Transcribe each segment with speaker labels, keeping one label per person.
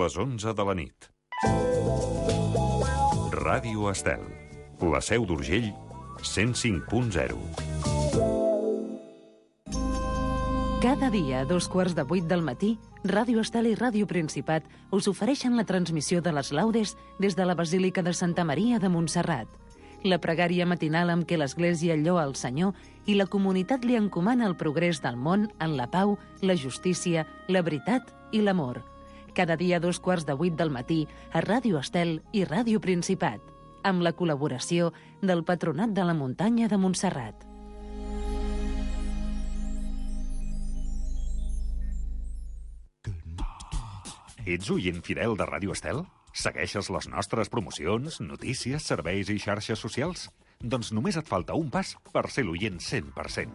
Speaker 1: les 11 de la nit. Ràdio Estel, la Seu d'Urgell, 105.0.
Speaker 2: Cada dia a 7:15 del matí, Ràdio Estel i Ràdio Principat us ofereixen la transmissió de les laudes des de la Basílica de Santa Maria de Montserrat. La pregària matinal amb què l'Església lloa el Senyor i la comunitat li encomana el progrés del món en la pau, la justícia, la veritat i l'amor. Cada dia a 7:15 del matí a Ràdio Estel i Ràdio Principat, amb la col·laboració del Patronat de la Muntanya de Montserrat.
Speaker 1: Ets oient fidel de Ràdio Estel? Segueixes les nostres promocions, notícies, serveis i xarxes socials? Doncs només et falta un pas per ser l'oient 100%.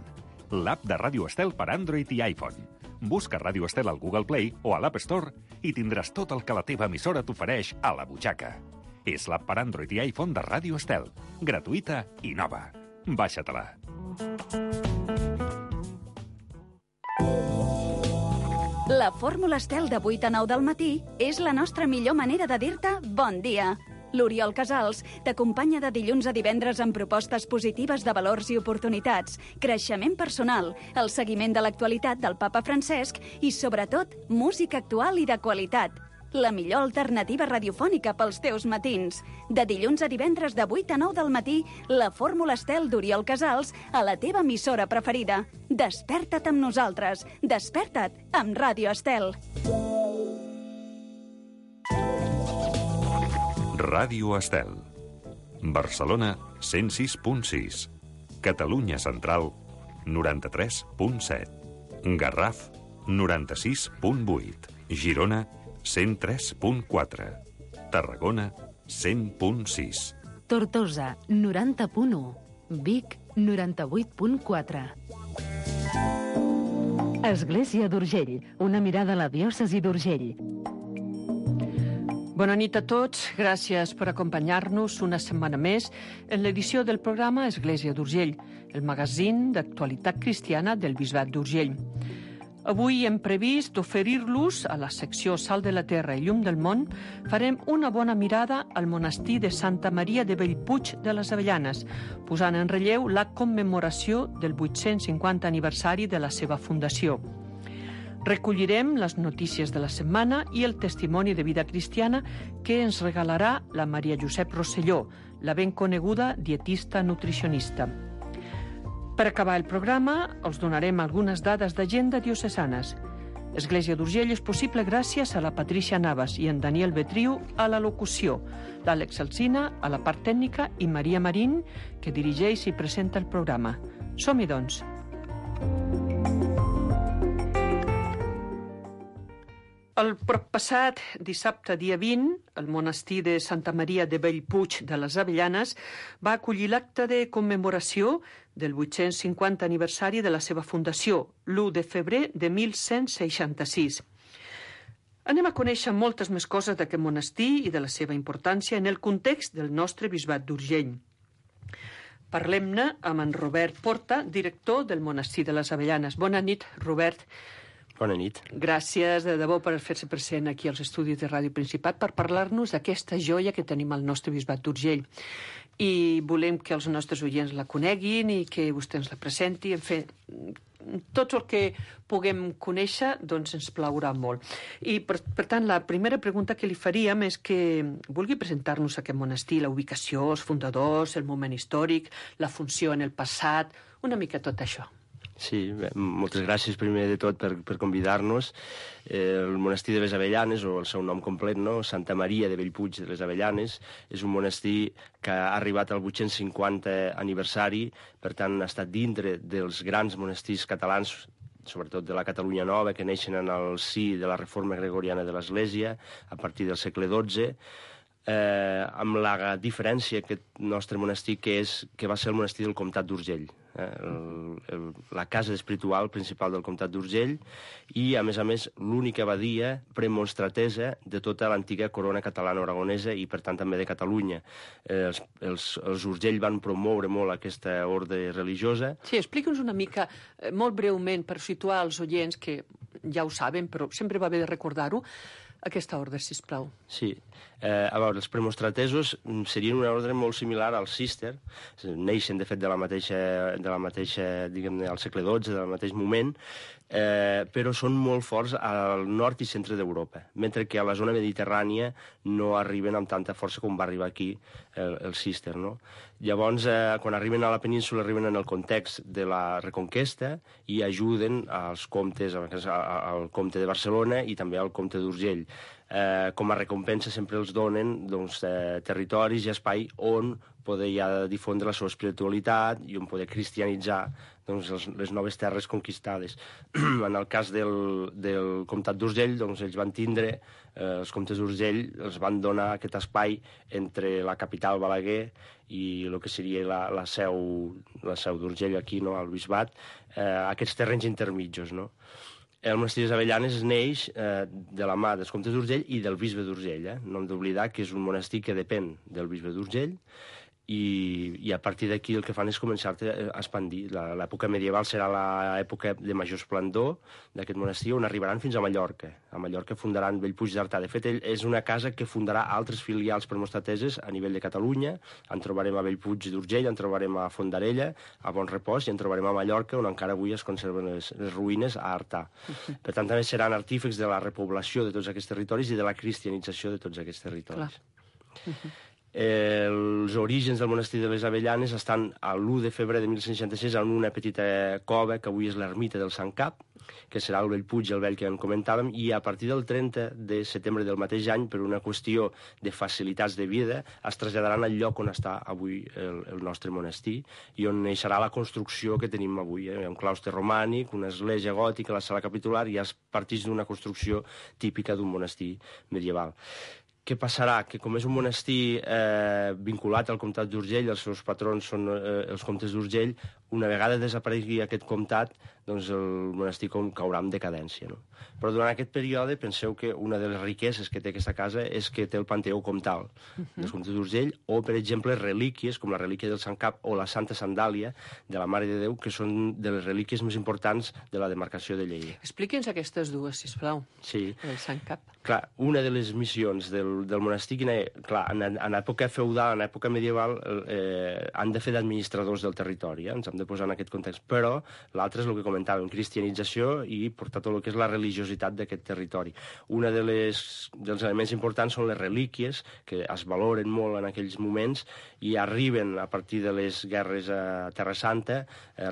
Speaker 1: L'app de Ràdio Estel per Android i iPhone. Busca Ràdio Estel al Google Play o a l'App Store i tindràs tot el que la teva emissora t'ofereix a la butxaca. És l'app per Android i iPhone de Ràdio Estel. Gratuïta i nova. Baixa-te-la.
Speaker 3: La fórmula Estel de 8 a 9 del matí és la nostra millor manera de dir-te bon dia. L'Oriol Casals t'acompanya de dilluns a divendres amb propostes positives de valors i oportunitats, creixement personal, el seguiment de l'actualitat del papa Francesc i, sobretot, música actual i de qualitat. La millor alternativa radiofònica pels teus matins. De dilluns a divendres de 8 a 9 del matí, la fórmula Estel d'Oriol Casals a la teva emissora preferida. Desperta't amb nosaltres. Desperta't amb Ràdio Estel.
Speaker 1: Ràdio Estel. Barcelona, 106.6. Catalunya Central, 93.7. Garraf, 96.8. Girona, 103.4. Tarragona, 100.6.
Speaker 2: Tortosa, 90.1. Vic, 98.4. Església d'Urgell, una mirada a la diòcesi d'Urgell.
Speaker 4: Bona nit a tots, gràcies per acompanyar-nos una setmana més en l'edició del programa Església d'Urgell, el magazín d'actualitat cristiana del Bisbat d'Urgell. Avui hem previst oferir-los a la secció Sal de la Terra i Llum del Món, farem una bona mirada al monestir de Santa Maria de Bellpuig de les Avellanes, posant en relleu la commemoració del 850 aniversari de la seva fundació. Recollirem les notícies de la setmana i el testimoni de vida cristiana que ens regalarà la Maria Josep Rosselló, la ben coneguda dietista nutricionista. Per acabar el programa, us donarem algunes dades d'agenda diocesanes. Església d'Urgell és possible gràcies a la Patricia Navas i en Daniel Betriu a la locució, l'Àlex Alsina a la part tècnica i Maria Marín, que dirigeix i presenta el programa. Som-hi, doncs. El proppassat dissabte, dia 20, el monestir de Santa Maria de Bellpuig de les Avellanes va acollir l'acte de commemoració del 850 aniversari de la seva fundació, l'1 de febrer de 1166. Anem a conèixer moltes més coses d'aquest monestir i de la seva importància en el context del nostre bisbat d'Urgell. Parlem-ne amb en Robert Porta, director del monestir de les Avellanes. Bona nit, Robert.
Speaker 5: Bona nit.
Speaker 4: Gràcies de debò per fer-se present aquí als estudis de Ràdio Principat per parlar-nos d'aquesta joia que tenim al nostre bisbat d'Urgell. I volem que els nostres oients la coneguin i que vostè ens la presenti. En fi, tot el que puguem conèixer doncs ens plaurà molt. I per tant, la primera pregunta que li faríem és que vulgui presentar-nos aquest monestir, la ubicació, els fundadors, el moment històric, la funció en el passat, una mica tot això.
Speaker 5: Sí, bé, moltes gràcies primer de tot per convidar-nos. El monestir de les Avellanes, o el seu nom complet, no? Santa Maria de Bellpuig de les Avellanes, és un monestir que ha arribat al 850 aniversari, per tant ha estat dintre dels grans monestirs catalans, sobretot de la Catalunya Nova, que neixen en el si de la reforma gregoriana de l'Església a partir del segle XII, amb la diferència aquest nostre monestir que va ser el monestir del comtat d'Urgell, la casa espiritual principal del comtat d'Urgell i, a més, l'única abadia premonstratesa de tota l'antiga corona catalana-aragonesa i, per tant, també de Catalunya. Els Urgell van promoure molt aquesta ordre religiosa.
Speaker 4: Sí, explica'ns una mica, molt breument, per situar els oients, que ja ho saben, però sempre va bé de recordar-ho, aquesta ordre, sisplau.
Speaker 5: Sí. A veure, els premostratesos serien una ordre molt similar al Cister, neixen, de fet, de la mateixa diguem-ne, al segle XII, del mateix moment, però són molt forts al nord i centre d'Europa, mentre que a la zona mediterrània no arriben amb tanta força com va arribar aquí el Cister, no? Llavors, quan arriben a la península, arriben en el context de la Reconquesta i ajuden als comtes, al comte de Barcelona i també al comte d'Urgell. Com a recompensa sempre els donen territoris i espai on poder ja difondre la seva espiritualitat i on poder cristianitzar les noves terres conquistades. En el cas del comtat d'Urgell, ells van tindre, els comtes d'Urgell els van donar aquest espai entre la capital Balaguer i el que seria la seu d'Urgell aquí, no, al bisbat, aquests terrenys intermitjos, no? El monestir de les Avellanes neix de la mà dels comtes d'Urgell i del bisbe d'Urgell. No hem d'oblidar que és un monestir que depèn del bisbe d'Urgell i a partir d'aquí el que fan és començar a expandir. L'època medieval serà l'època de major esplendor d'aquest monestir, on arribaran fins a Mallorca. A Mallorca fundaran Bellpuig d'Artà. De fet, és una casa que fundarà altres filials premostrateses a nivell de Catalunya. En trobarem a Bellpuig d'Urgell, en trobarem a Fondarella, a Bonrepòs, i en trobarem a Mallorca, on encara avui es conserven les ruïnes, a Artà. Per tant, també seran artífecs de la repoblació de tots aquests territoris i de la cristianització de tots aquests territoris. Els orígens del monestir de les Avellanes estan a l'1 de febrer de 1166 en una petita cova que avui és l'ermita del Sant Cap, que serà el Bellpuig, el vell que en comentàvem, i a partir del 30 de setembre del mateix any, per una qüestió de facilitats de vida, es traslladaran al lloc on està avui el nostre monestir i on neixerà la construcció que tenim avui. Hi ha un claustre romànic, una església gòtica, la sala capitular, i es partix d'una construcció típica d'un monestir medieval. Què passarà? Que com és un monestir vinculat al comtat d'Urgell, els seus patrons són els comtes d'Urgell, una vegada desaparegui aquest comtat, doncs el monestir caurà en decadència, no? Però durant aquest període penseu que una de les riqueses que té aquesta casa és que té el panteó comtal dels comtes d'Urgell, o, per exemple, relíquies, com la relíquia del Sant Cap o la Santa Sandàlia de la Mare de Déu, que són de les relíquies més importants de la demarcació de Lleida.
Speaker 4: Expliqui'ns aquestes dues, sisplau.
Speaker 5: Sí.
Speaker 4: El Sant Cap.
Speaker 5: Clar, una de les missions del monestir, clar, en època feudal, en època medieval, han de fer d'administradors del territori, ens hem de posar en aquest context, però l'altre és el que comentàvem, cristianització i portar tot el que és la religiositat d'aquest territori. Un dels elements importants són les relíquies, que es valoren molt en aquells moments i arriben a partir de les guerres a Terra Santa,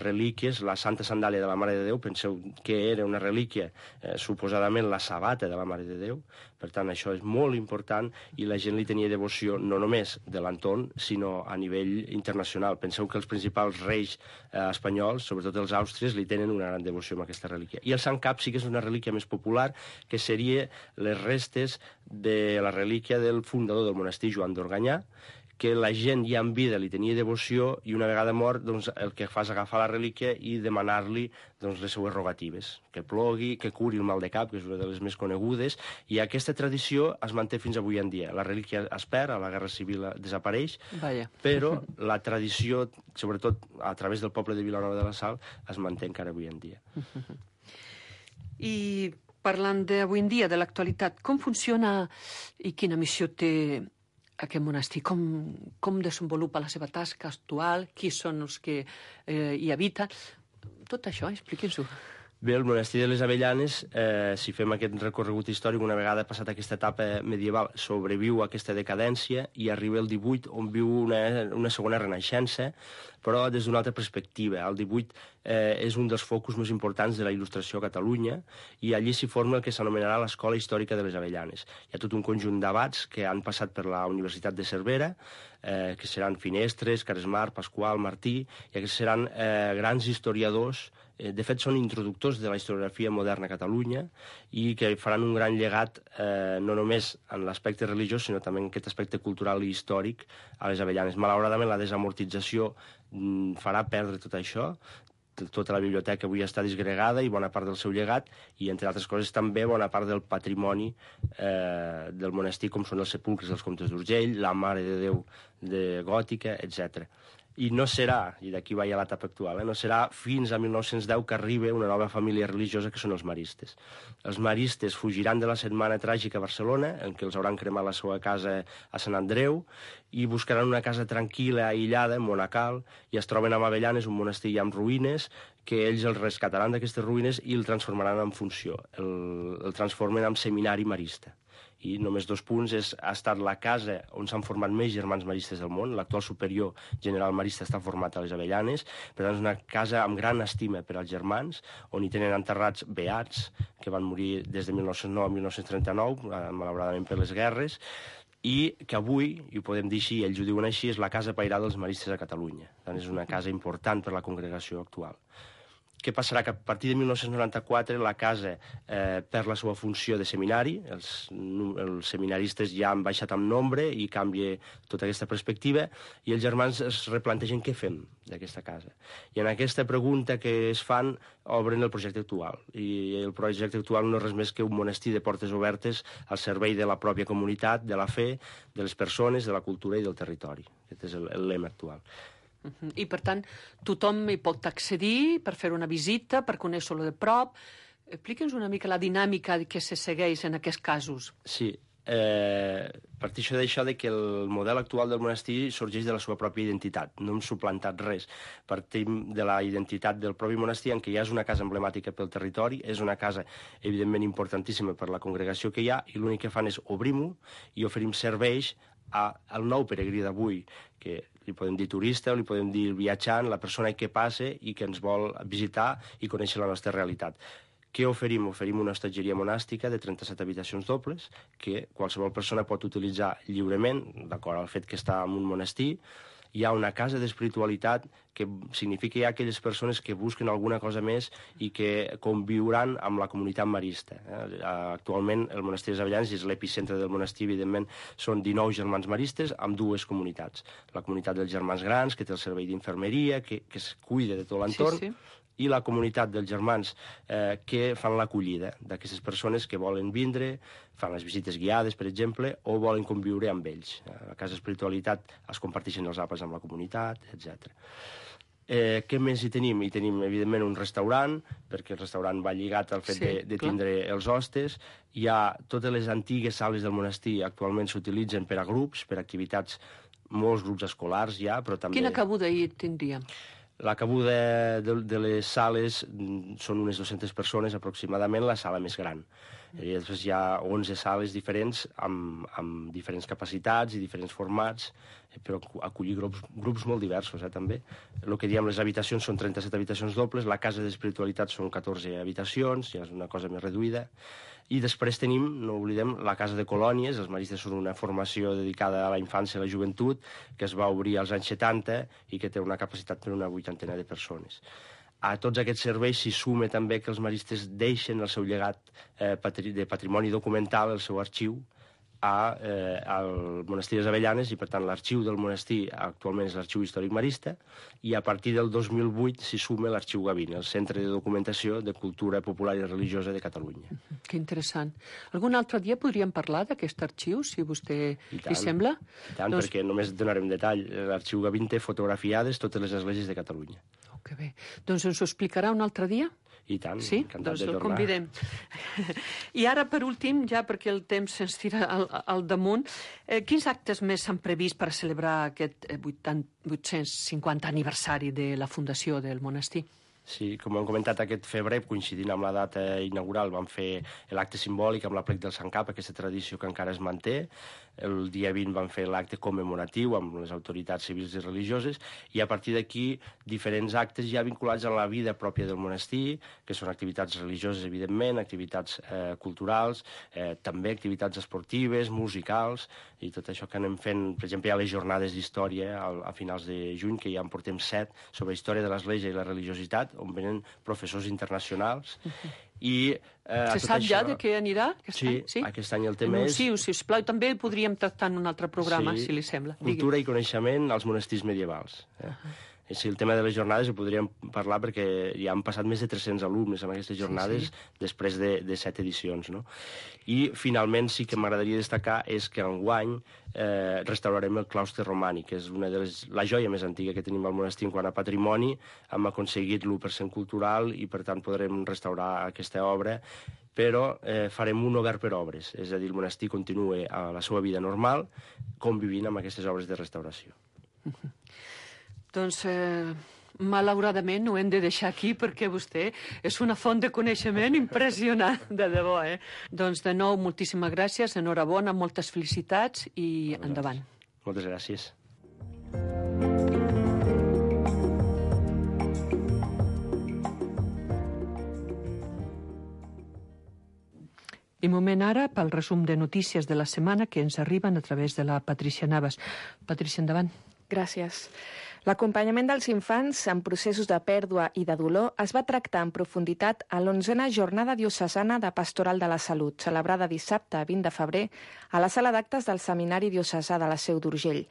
Speaker 5: relíquies, la Santa Sandàlia de la Mare de Déu, penseu que era una relíquia, suposadament la sabata de la Mare de Déu, per tant això és molt important i la gent li tenia devoció no només de l'entorn, sinó a nivell internacional. Penseu que els principals reis espanyols, sobretot els àustries, li tenen una gran devoció a aquesta relíquia. I el Sant Cap sí que és una relíquia més popular, que seria les restes de la relíquia del fundador del monestir, Joan d'Organyà, que la gent ja en vida li tenia devoció i una vegada mort doncs, el que fa és agafar la relíquia i demanar-li doncs, les seues rogatives, que plogui, que curi el mal de cap, que és una de les més conegudes, i aquesta tradició es manté fins avui en dia. La relíquia es perd, a la Guerra Civil desapareix, però la tradició, sobretot a través del poble de Vilanova de la Sal, es manté encara avui en dia.
Speaker 4: I parlant d'avui en dia, de l'actualitat, com funciona i quina missió té aquest monestir? Com desenvolupa la seva tasca actual? Qui són els que hi habiten? Tot això, expliqui'ns-ho.
Speaker 5: Bé, el monestir de les Avellanes, si fem aquest recorregut històric, una vegada passat aquesta etapa medieval, sobreviu a aquesta decadència i arriba el 18, on viu una segona renaixença, però des d'una altra perspectiva. El 18 és un dels focus més importants de la il·lustració a Catalunya i allí s'hi forma el que s'anomenarà l'Escola Històrica de les Avellanes. Hi ha tot un conjunt d'abats que han passat per la Universitat de Cervera, que seran Finestres, Caresmar, Pasqual, Martí, i aquests seran grans historiadors. De fet, són introductors de la historiografia moderna a Catalunya i que faran un gran llegat no només en l'aspecte religiós, sinó també en aquest aspecte cultural i històric a les Avellanes. Malauradament, la desamortització farà perdre tot això. Tota la biblioteca avui està disgregada i bona part del seu llegat, i, entre altres coses, també bona part del patrimoni del monestir, com són els sepulcres dels comtes d'Urgell, la Mare de Déu de Gòtica, etc. I no serà, i d'aquí va ja l'etapa actual, no serà fins a 1910 que arriba una nova família religiosa que són els maristes. Els maristes fugiran de la setmana tràgica a Barcelona, en què els hauran cremat la seva casa a Sant Andreu, i buscaran una casa tranquil·la, aïllada, monacal, i es troben a Avellanes, un monestir ja amb ruïnes, que ells el rescataran d'aquestes ruïnes i el transformaran en funció. El transformen en seminari marista. I només 2 punts, ha estat la casa on s'han format més germans maristes del món. L'actual superior general marista està format a les Avellanes, per tant és una casa amb gran estima per als germans, on hi tenen enterrats beats, que van morir des de 1909 a 1939, malauradament per les guerres, i que avui, i ho podem dir així, ells ho diuen així, és la casa pairada dels maristes a Catalunya. Per tant, és una casa important per la congregació actual. Què passarà? Que a partir de 1994 la casa perd la seva funció de seminari, els seminaristes ja han baixat en nombre i canvia tota aquesta perspectiva, i els germans es replantegen què fem d'aquesta casa. I en aquesta pregunta que es fan obren el projecte actual. I el projecte actual no és res més que un monestir de portes obertes al servei de la pròpia comunitat, de la fe, de les persones, de la cultura i del territori. Aquest és el lema actual.
Speaker 4: I, per tant, tothom hi pot accedir per fer una visita, per conèixer-lo de prop. Explica'ns una mica la dinàmica que se segueix en aquests casos.
Speaker 5: Sí, parteixo d'això de que el model actual del monestir sorgeix de la seva pròpia identitat. No hem suplantat res. Partim de la identitat del propi monestir, en què ja és una casa emblemàtica pel territori, és una casa, evidentment, importantíssima per la congregació que hi ha, i l'únic que fan és obrim-ho i oferim serveis al nou peregrí d'avui, que li podem dir turista o li podem dir viatjant, la persona que passa i que ens vol visitar i conèixer la nostra realitat. Què oferim? Oferim una hostatgeria monàstica de 37 habitacions dobles que qualsevol persona pot utilitzar lliurement, d'acord al fet que està en un monestir. Hi ha una casa d'espiritualitat que significa que hi ha aquelles persones que busquen alguna cosa més i que conviuran amb la comunitat marista. Actualment el monestir de les Avellanes és l'epicentre del monestir, evidentment són 19 germans maristes amb 2 comunitats. La comunitat dels germans grans, que té el servei d'infermeria, que es cuida de tot l'entorn, sí. I la comunitat dels germans que fan l'acollida d'aquestes persones que volen vindre, fan les visites guiades, per exemple, o volen conviure amb ells. A la casa espiritualitat es comparteixen els àpats amb la comunitat, etc. Què més hi tenim? Hi tenim, evidentment, un restaurant, perquè el restaurant va lligat al fet de tindre els hostes. Hi ha totes les antigues sales del monestir, actualment s'utilitzen per a grups, per a activitats, molts grups escolars ja, però també...
Speaker 4: Quina cabuda hi tindríem?
Speaker 5: La cabuda de les sales són unes 200 persones aproximadament, la sala més gran. I després hi ha 11 sales diferents amb diferents capacitats i diferents formats, però acollir grups molt diversos, també. El que diem, les habitacions són 37 habitacions dobles, la casa d'espiritualitat són 14 habitacions, ja és una cosa més reduïda. I després tenim, no oblidem, la casa de colònies. Els maristes són una formació dedicada a la infància i a la joventut, que es va obrir als anys 70 i que té una capacitat per una 80 de persones. A tots aquests serveis s'hi suma també que els maristes deixen el seu llegat de patrimoni documental, el seu arxiu, al monestir de les Avellanes, i per tant l'arxiu del monestir actualment és l'arxiu històric marista, i a partir del 2008 s'hi suma l'arxiu Gavina, el Centre de Documentació de Cultura Popular i Religiosa de Catalunya.
Speaker 4: Que interessant. Algun altre dia podríem parlar d'aquest arxiu, si a vostè li sembla?
Speaker 5: I tant, perquè només donarem detall. L'arxiu Gavina té fotografiades totes les esglésies de Catalunya.
Speaker 4: Que bé. Doncs ens ho explicarà un altre dia?
Speaker 5: I tant,
Speaker 4: sí?
Speaker 5: encantat
Speaker 4: de tornar.
Speaker 5: Doncs
Speaker 4: el convidem. I ara, per últim, ja perquè el temps se'ns tira al damunt, quins actes més s'han previst per celebrar aquest 850 aniversari de la fundació del monestir?
Speaker 5: Sí, com hem comentat, aquest febrer, coincidint amb la data inaugural, vam fer l'acte simbòlic amb l'aplec del Sant Cap, aquesta tradició que encara es manté. El dia 20 vam fer l'acte commemoratiu amb les autoritats civils i religioses, i a partir d'aquí diferents actes ja vinculats a la vida pròpia del monestir, que són activitats religioses, evidentment, activitats culturals, també activitats esportives, musicals, i tot això que anem fent. Per exemple, hi ha les jornades d'història a finals de juny, que ja en portem 7, sobre història de l'Església i la religiositat, on venen professors internacionals. I
Speaker 4: se sap ja de què anirà aquest any?
Speaker 5: Sí, aquest any el tema és...
Speaker 4: Anunciu, sisplau, també el podríem tractar en un altre programa, si li sembla.
Speaker 5: Cultura i coneixement als monestirs medievals. Si el tema de les jornades ho podríem parlar perquè ja han passat més de 300 alumnes en aquestes jornades després de 7 edicions, no? I finalment sí que m'agradaria destacar és que enguany restaurarem el claustre romànic, que és la joia més antiga que tenim al monestir en quant a patrimoni. Hem aconseguit l'1% cultural i per tant podrem restaurar aquesta obra, però farem un obert per obres, és a dir, el monestir continua a la seva vida normal convivint amb aquestes obres de restauració.
Speaker 4: Doncs, malauradament, ho hem de deixar aquí perquè vostè és una font de coneixement impressionant, de debò, Doncs, de nou, moltíssimes gràcies, enhorabona, moltes felicitats i endavant.
Speaker 5: Moltes gràcies.
Speaker 4: I moment ara pel resum de notícies de la setmana que ens arriben a través de la Patricia Navas. Patricia, endavant.
Speaker 6: Gràcies. L'acompanyament dels infants en processos de pèrdua i de dolor es va tractar en profunditat a l'11a Jornada Diocesana de Pastoral de la Salut, celebrada dissabte 20 de febrer a la sala d'actes del Seminari Diocesà de la Seu d'Urgell.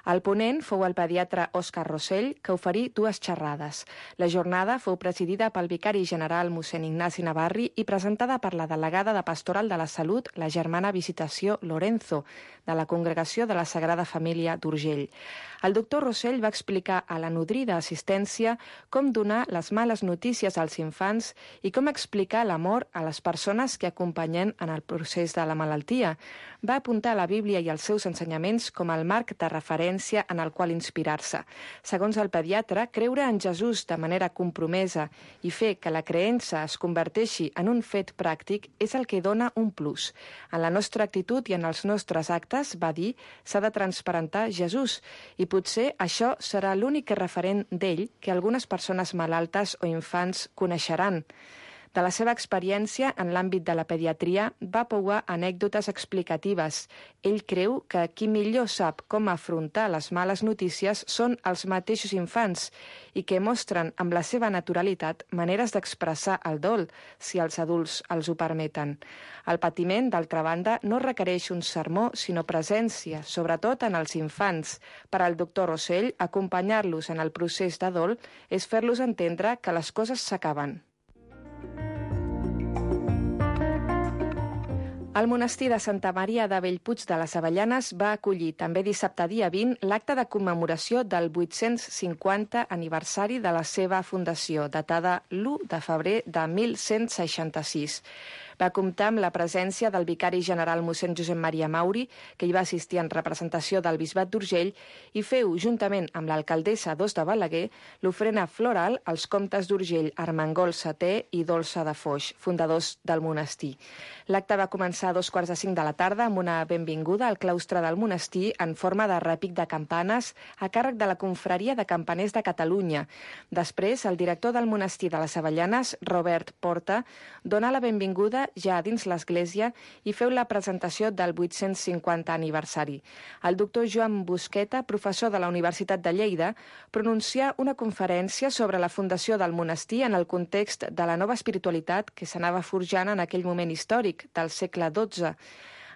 Speaker 6: El ponent fou el pediatre Òscar Rossell, que oferí 2 xerrades. La jornada fou presidida pel vicari general mossèn Ignasi Navarri i presentada per la delegada de Pastoral de la Salut, la germana Visitació Lorenzo, de la Congregació de la Sagrada Família d'Urgell. El doctor Rossell va explicar a la nodrida assistència com donar les males notícies als infants i com explicar l'amor a les persones que acompanyen en el procés de la malaltia. Va apuntar la Bíblia i els seus ensenyaments com el marc de referència en el qual inspirar-se. Segons el pediatre, creure en Jesús de manera compromesa i fer que la creença es converteixi en un fet pràctic és el que dona un plus. En la nostra actitud i en els nostres actes, va dir, s'ha de transparentar Jesús i potser això serà l'únic referent d'ell que algunes persones malaltes o infants coneixeran. De la seva experiència en l'àmbit de la pediatria va pouar anècdotes explicatives. Ell creu que qui millor sap com afrontar les males notícies són els mateixos infants i que mostren amb la seva naturalitat maneres d'expressar el dol, si els adults els ho permeten. El patiment, d'altra banda, no requereix un sermó, sinó presència, sobretot en els infants. Per al doctor Rossell, acompanyar-los en el procés de dol és fer-los entendre que les coses s'acaben. El monestir de Santa Maria de Bellpuig de les Avellanes va acollir també dissabte dia 20 l'acte de commemoració del 850 aniversari de la seva fundació, datada l'1 de febrer de 1166. Va comptar amb la presència del vicari general mossèn Josep Maria Mauri, que hi va assistir en representació del Bisbat d'Urgell, i feu, juntament amb l'alcaldessa d'Os de Balaguer, l'ofrena floral als comtes d'Urgell, Armengol Seté i Dolça de Foix, fundadors del monestir. L'acte va començar a 2:45 de la tarda amb una benvinguda al claustre del monestir en forma de repic de campanes a càrrec de la Confraria de Campaners de Catalunya. Després, el director del monestir de les Avellanes, Robert Porta, dona la benvinguda ja dins l'església i feu la presentació del 850 aniversari. El doctor Joan Busqueta, professor de la Universitat de Lleida, pronuncià una conferència sobre la fundació del monestir en el context de la nova espiritualitat que s'anava forjant en aquell moment històric del segle XII.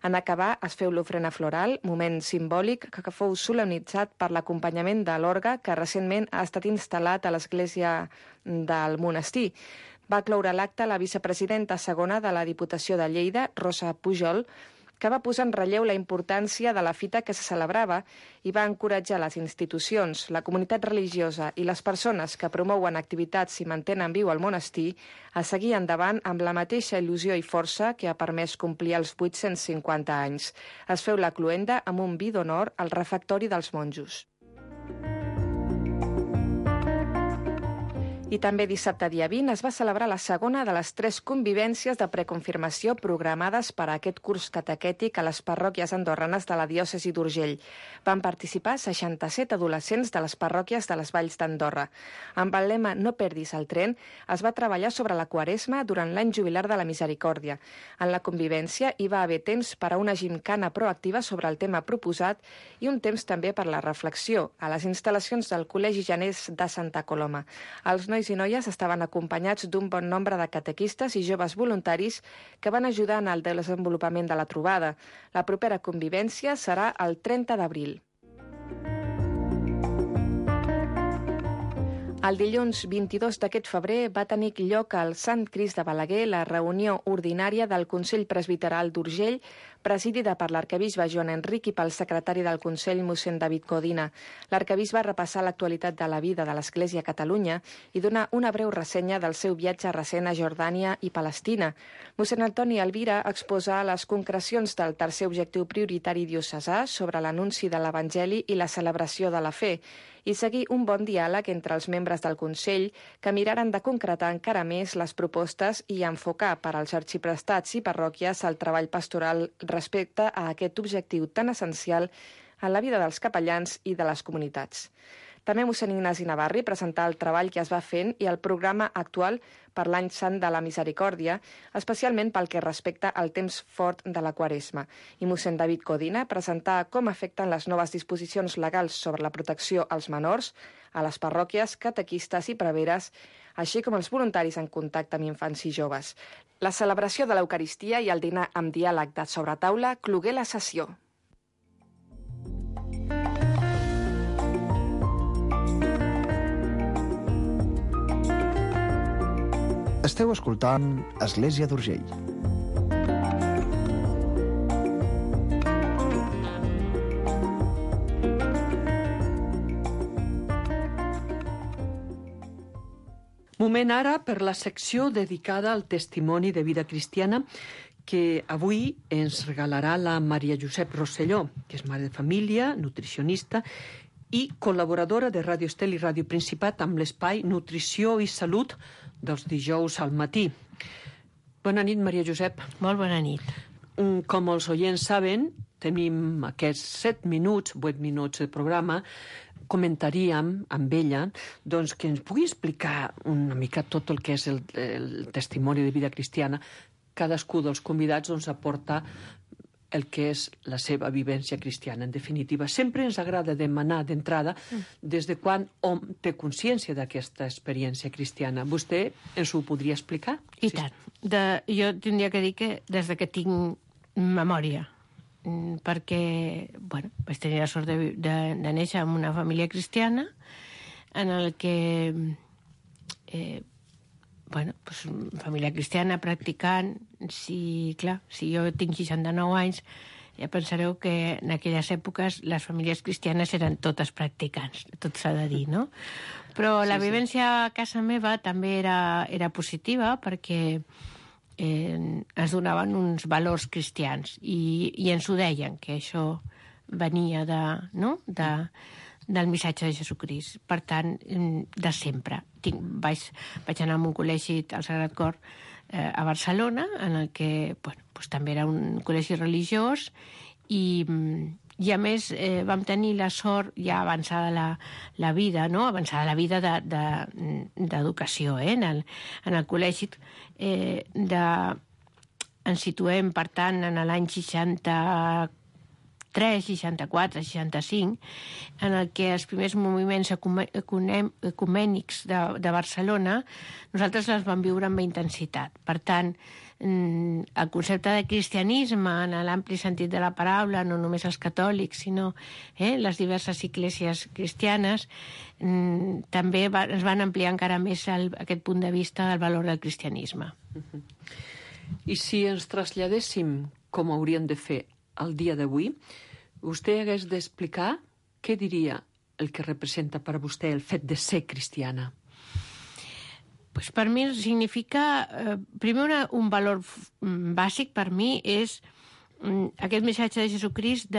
Speaker 6: En acabar, es feu l'ofrena floral, moment simbòlic que fou solemnitzat per l'acompanyament de l'orgue que recentment ha estat instal·lat a l'església del monestir. Va cloure l'acte la vicepresidenta segona de la Diputació de Lleida, Rosa Pujol, que va posar en relleu la importància de la fita que se celebrava i va encoratjar les institucions, la comunitat religiosa i les persones que promouen activitats i mantenen viu el monestir a seguir endavant amb la mateixa il·lusió i força que ha permès complir els 850 anys. Es feu la cloenda amb un vi d'honor al refectori dels monjos. I també dissabte dia 20 es va celebrar la segona de les 3 convivències de preconfirmació programades per a aquest curs catequètic a les parròquies andorranes de la diòcesi d'Urgell. Van participar 67 adolescents de les parròquies de les Valls d'Andorra. Amb el lema "No perdis el tren", es va treballar sobre la Quaresma durant l'any jubilar de la Misericòrdia. En la convivència hi va haver temps per a una gimcana proactiva sobre el tema proposat i un temps també per la reflexió a les instal·lacions del Col·legi Janés de Santa Coloma. Els nois i noies estaven acompanyats d'un bon nombre de catequistes i joves voluntaris que van ajudar en el desenvolupament de la trobada. La propera convivència serà el 30 d'abril. El dilluns 22 d'aquest febrer va tenir lloc al Sant Crist de Balaguer la reunió ordinària del Consell Presbiteral d'Urgell, presidida per l'arquebisbe Joan Enric i pel secretari del Consell, mossèn David Codina. L'arquebisbe va repassar l'actualitat de la vida de l'Església a Catalunya i donar una breu ressenya del seu viatge recent a Jordània i Palestina. Mossèn Antoni Alvira exposa les concrecions del tercer objectiu prioritari diocesà sobre l'anunci de l'Evangeli i la celebració de la fe, i seguir un bon diàleg entre els membres del Consell que miraren de concretar encara més les propostes i enfocar per als arxiprestats i parròquies el treball pastoral respecte a aquest objectiu tan essencial en la vida dels capellans i de les comunitats. També mossèn Ignasi Navarri presentà el treball que es va fent i el programa actual per l'any sant de la Misericòrdia, especialment pel que respecta al temps fort de la Quaresma. I mossèn David Codina presentà com afecten les noves disposicions legals sobre la protecció als menors, a les parròquies, catequistes i preveres, així com els voluntaris en contacte amb infants i joves. La celebració de l'Eucaristia i el dinar amb diàleg de sobretaula clogué la sessió.
Speaker 7: Esteu escoltant Església d'Urgell.
Speaker 4: Moment ara per la secció dedicada al testimoni de vida cristiana que avui ens regalarà la Maria Josep Rosselló, que és mare de família, nutricionista i col·laboradora de Ràdio Estel i Ràdio Principat amb l'espai Nutrició i Salut dels dijous al matí. Bona nit, Maria Josep.
Speaker 8: Molt bona nit.
Speaker 4: Com els oients saben, tenim aquests 8 minuts de programa. Comentaríem amb ella doncs, que ens pugui explicar una mica tot el que és el testimoni de vida cristiana. Cadascú dels convidats doncs, aporta el que és la seva vivència cristiana. En definitiva, sempre ens agrada demanar d'entrada des de quan hom té consciència d'aquesta experiència cristiana. Vostè ens ho podria explicar?
Speaker 8: I tant. Jo tindria que dir que des de que tinc memòria, perquè vaig tenir la sort de néixer en una família cristiana en el que família cristiana practicant, si jo tinc 69 anys, ja pensareu que en aquelles èpoques les famílies cristianes eren totes practicants, tot s'ha de dir, no? Però la vivència a casa meva també era positiva perquè ens donaven uns valors cristians i ens ho deien, que això venia del missatge de Jesucrist. Per tant, de sempre. Vaig anar a un col·legi al Sagrat Cor a Barcelona, en el que també era un col·legi religiós i a més vam tenir la sort, ja avançada la vida, no? Avançada la vida d'educació, en el col·legi, ens situem, per tant, en l'any 64, 64, 65, en el que els primers moviments ecumènics de Barcelona nosaltres els vam viure amb intensitat. Per tant, el concepte de cristianisme, en l'ampli sentit de la paraula, no només els catòlics, sinó les diverses esglésies cristianes, també ens van ampliar encara més aquest punt de vista del valor del cristianisme.
Speaker 4: I si ens traslladéssim com hauríem de fer el dia d'avui, vostè hagués d'explicar què diria el que representa per a vostè el fet de ser cristiana.
Speaker 8: Pues per mi significa, primer un valor bàsic per mi és aquest missatge de Jesucrist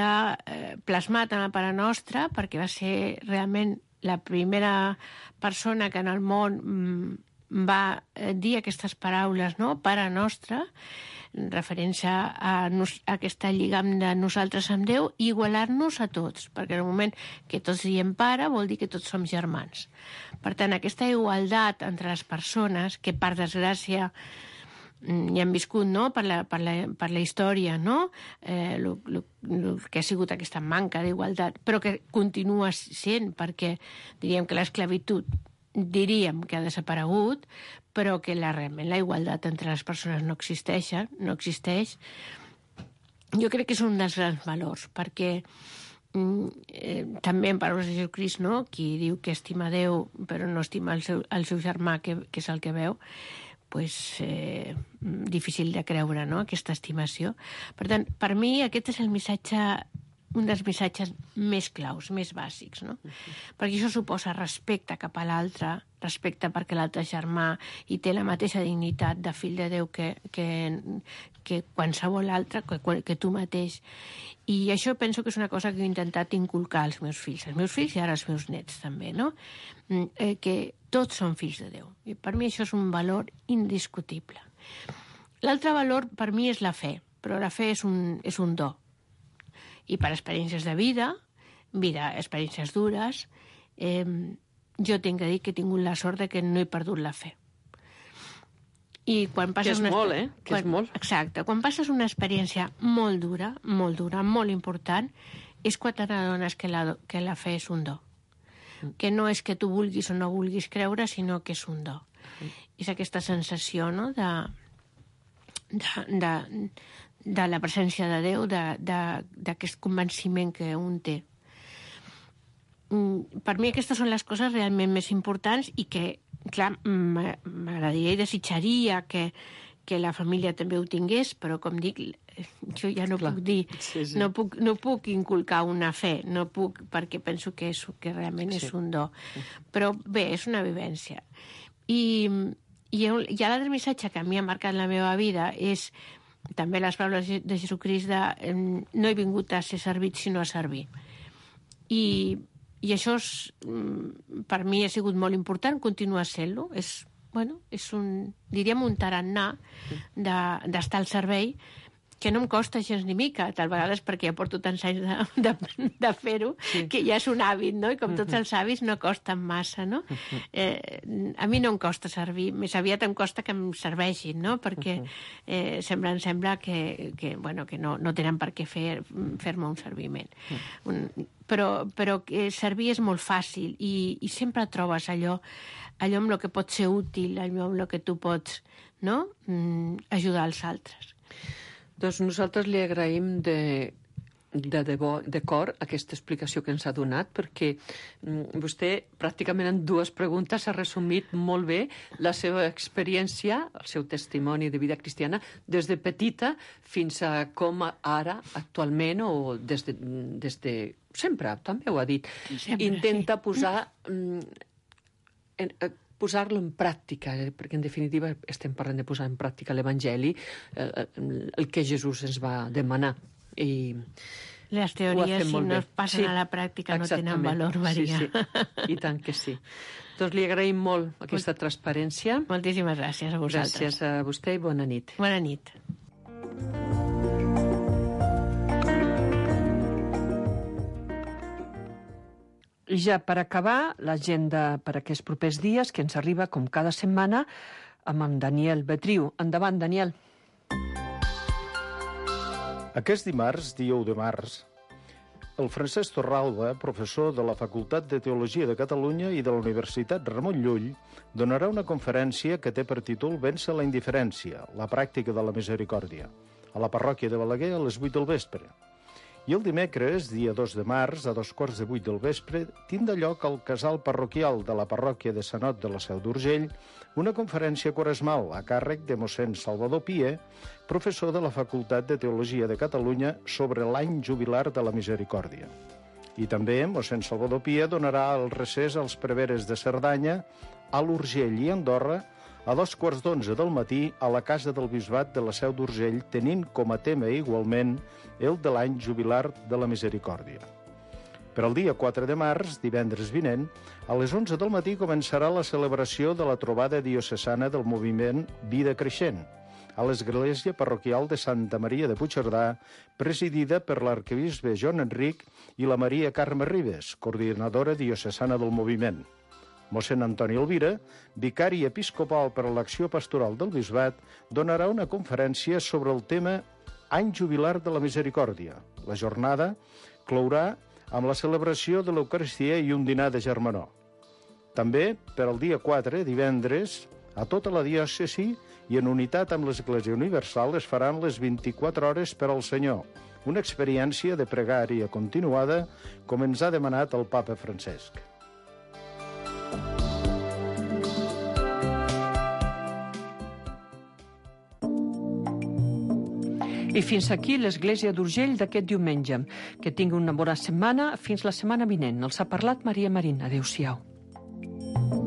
Speaker 8: plasmat en la Pare Nostra, perquè va ser realment la primera persona que en el món va dir aquestes paraules, no? Pare Nostra, referència a aquesta lligam de nosaltres amb Déu i igualar-nos a tots, perquè en el moment que tots diem pare vol dir que tots som germans. Per tant, aquesta igualtat entre les persones, que per desgràcia ja hem viscut, no? per la història, no? El que ha sigut aquesta manca d'igualtat, però que continua sent, perquè diríem que l'esclavitud que ha desaparegut, però que realment la igualtat entre les persones no existeix. Jo crec que és un dels grans valors, perquè també en paraules de Jesucrist, no? Qui diu que estima Déu però no estima el seu germà, que és el que veu, difícil de creure, no?, aquesta estimació. Per tant, per mi aquest és el missatge, un dels missatges més claus, més bàsics, no? Perquè això suposa respecte cap a l'altre, respecte perquè l'altre germà i té la mateixa dignitat de fill de Déu que qualsevol altre, que tu mateix. I això penso que és una cosa que he intentat inculcar als meus fills i ara als meus nets també, no? Que tots són fills de Déu. I per mi això és un valor indiscutible. L'altre valor per mi és la fe, però la fe és un do. I per experiències de vida, experiències dures, jo tinc que dir que he tingut la sort de que no he perdut la fe. I quan passes
Speaker 4: que és molt, Que és molt.
Speaker 8: Exacte. Quan passes una experiència molt dura, molt important, és quan t'adones que la fe és un do. Que no és que tu vulguis o no vulguis creure, sinó que és un do. És aquesta sensació, no?, de la presència de Déu, d'aquest convenciment que un té. Per mi aquestes són les coses realment més importants i que, clar, m'agradaria i desitjaria que la família també ho tingués, però, com dic, jo ja no puc dir, no puc inculcar una fe, no puc, perquè penso que realment és un do. Però bé, és una vivència. I l'altre missatge que a mi ha marcat la meva vida és també les paraules de Jesucrist de no he vingut a ser servit sinó a servir. I això per mi ha sigut molt important, continua sent-lo. És diríem un tarannà d'estar al servei, que no em costa gens ni mica, tal vegades perquè ja porto tants anys de fer-ho, que ja és un hàbit, no? I com tots els hàbits no costen massa, no? A mi no em costa servir, més aviat em costa que em serveixin, no? Perquè em sembla que no tenen per què fer-me un serviment. Però servir és molt fàcil i sempre trobes allò amb el que pot ser útil, allò amb el que tu pots, no?, ajudar els altres.
Speaker 4: Doncs nosaltres li agraïm de debò, de cor, aquesta explicació que ens ha donat, perquè vostè pràcticament en 2 preguntes ha resumit molt bé la seva experiència, el seu testimoni de vida cristiana, des de petita fins a com ara, actualment, o des de sempre, també ho ha dit. Intenta posar-lo en pràctica, perquè en definitiva estem parlant de posar en pràctica l'Evangeli, el que Jesús ens va demanar. I
Speaker 8: les teories, si no es passen a la pràctica, no tenen valor, Maria.
Speaker 4: I tant que sí. Doncs li agraïm molt aquesta transparència.
Speaker 8: Moltíssimes gràcies a vosaltres.
Speaker 4: Gràcies a vostè i bona nit.
Speaker 8: Bona nit.
Speaker 4: I ja per acabar, l'agenda per aquests propers dies, que ens arriba com cada setmana amb en Daniel Betriu. Endavant, Daniel.
Speaker 9: Aquest dimarts, dia 1 de març, el Francesc Torralba, professor de la Facultat de Teologia de Catalunya i de la Universitat Ramon Llull, donarà una conferència que té per títol Vèncer la indiferència, la pràctica de la misericòrdia, a la parròquia de Balaguer a les 8 del vespre. I el dimecres, dia 2 de març, a 2:15 del vespre, tindrà lloc al casal parroquial de la parròquia de Sant Ot de la Seu d'Urgell una conferència quaresmal a càrrec de mossèn Salvador Pié, professor de la Facultat de Teologia de Catalunya, sobre l'any jubilar de la misericòrdia. I també mossèn Salvador Pié donarà el recés als preveres de Cerdanya, a l'Urgell i Andorra, a 2:15 del matí a la Casa del Bisbat de la Seu d'Urgell, tenint com a tema igualment el de l'any jubilar de la misericòrdia. Per al dia 4 de març, divendres vinent, a les 11 del matí començarà la celebració de la trobada diocesana del moviment Vida Creixent, a l'església parroquial de Santa Maria de Puigcerdà, presidida per l'arquebisbe Joan Enric i la Maria Carme Ribes, coordinadora diocesana del moviment. Mossèn Antoni Elvira, vicari episcopal per a l'acció pastoral del bisbat, donarà una conferència sobre el tema Any jubilar de la misericòrdia. La jornada clourà amb la celebració de l'Eucaristia i un dinar de germanor. També, per al dia 4, divendres, a tota la diòcesi i en unitat amb l'Església Universal es faran les 24 hores per al Senyor, una experiència de pregària continuada, com ens ha demanat el papa Francesc.
Speaker 4: I fins aquí l'Església d'Urgell d'aquest diumenge. Que tingui una bona setmana. Fins la setmana vinent. Els ha parlat Maria Marín. Adéu-siau.